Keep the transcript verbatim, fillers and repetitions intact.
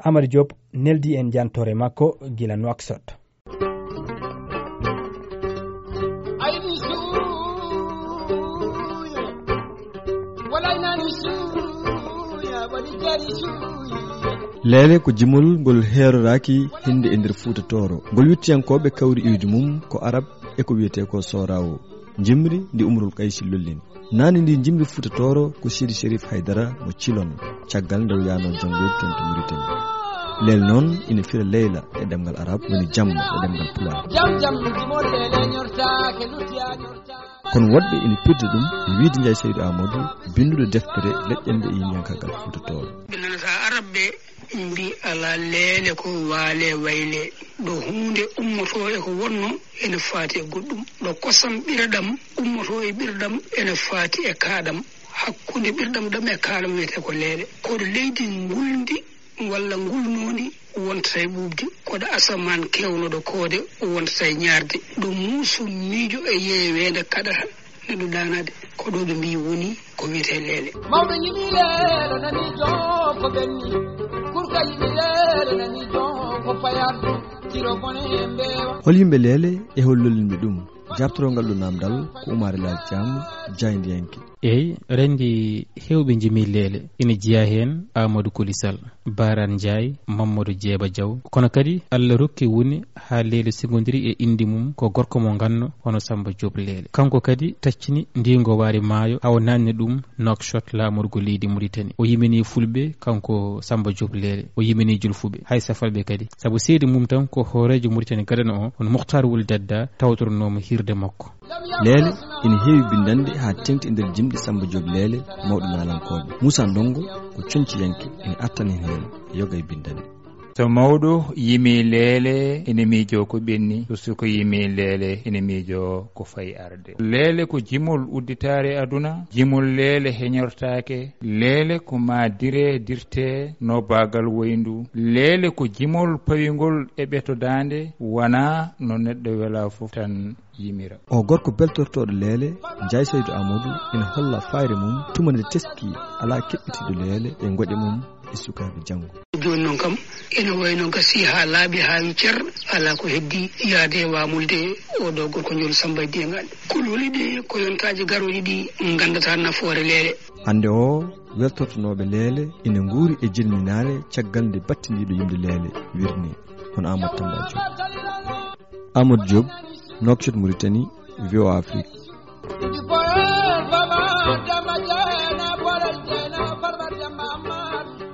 Amar Diop neldi en jantoore makko gila Nouakchott. Leele ko jimol ngol heeroraaki hinde e nder Fuuta Tooro. Ngol yettiyankooɓe kawri iwdi mum ko Arab e ko wiyetee ko Soorawo. Jimri ndi Umrul Kaysi lollini. Naane ndi jimri Fuuta Tooro ko Sidi Sherif Haydara mo Cilon, caggal nde o yaano janngoyde toon to Mauritanie. Leele noon ina fira leyla e ɗemngal Arab, woni jamma e ɗemngal Pulaar. Jam, jam, jimol leele ñortaake, luttiyaa ñortaake. Kono woɗɓe ina pirda ɗum e wiyde Njaay Saydu Aamadu, binnduɗo deftere Leƴƴannde e yimiyankaagal Fuuta Tooro. Ɓe nanata Arab ɓe mbi alaa leele ko waale wayle, ɗo huunde ummotoo e ko wonno ene faati e goɗɗum, ɗo kosam ɓirɗam ummotoo e ɓirɗam ene faati e kaaɗam, hakkunde ɓirɗam ɗam e kaaɗam wiyetee ko leele, ko ɗo leydi ngulndi walla ngulnoondi wontata e ɓuuɓde, ko ɗo asamaan keewnoɗo koode wontata e ñaarde, ɗo muuso miijo e yeeweende kaɗata neɗɗo ɗaanaade, ko ɗo ɓe mbii woni ko wiyetee leele. Mawɗo yimi leele nani joom ko ɓenni, kurka yimi leele nani joom ko payardu, tiro bone mbeewa. Hol yimɓe leele e hol lollinɓe ɗum? Jaabtoroo ngal ɗo naamndal ko Umaare Laal Caam, jaayndiyanke. Eey, renndi heewɓe njimi leele, ina jeyaa heen Aamadu Koli Sal, Baaraan Njaay, Mammadu Jeeba Jaw. Kono kadi Alla rokki woni haa leele sigondiri e innde mum ko gorko mo nganno hono Sammba Joob Leele. Kanko kadi taccini ndiingo waari maayo haa o naatni ɗum Nouakchott laamorgo leydi Muritani. O yimini fulɓe, kanko Sammba Joob Leele. O yimini julfuɓe, hay safalɓe kadi. Sabu seedi mum tan ko hooreejo Muritani gadano o, hono Mukhtar Wul Dadda, tawtoronoomo hiirde makko. Leele ina heewi binndannde haa teeŋti e nder jimɗi Sammba Joob Leele mawɗo naalankooɓe. Muusaa Ndonngo ko coñciyanke, ina artani heen yoga e binndannde. So mawɗo yimii leele, ina miijoo ko ɓenni. So suka yimii leele, ina miijoo ko fayi arde. Leele ko jimol udditaare aduna. Jimol leele heñortaake. Leele ko maa dire dirtee no baagal woyndu. Leele ko jimol pawingol e ɓeto daande, wonaa no neɗɗo welaa fof tan yimira. O gorko beltortooɗo leele, Njaay Saydu Aamadu, ina holla fayre mum tuma nde teskii alaa keɓɓitiiɗo leele e ngoƴa mum e sukaaɓe janngo. Jooni noon kam, ina wayi no gasii haa laaɓi, haa wi cer, alaa ko heddii yahde e waamulde oo ɗoo gorko njool Sammba e diyaŋaaji. Kulhuli ɗi ko yontaaji garooji ɗi nganndataa nafoore leele. Hannde o, weltortonooɓe leele ina nguuri e jirminaare caggal nde battindiiɗo yimde leele wirnii, hono Amadou Tamba Diop. Amadou Diop, Nouakchott, Mauritanie, V O A Afrique.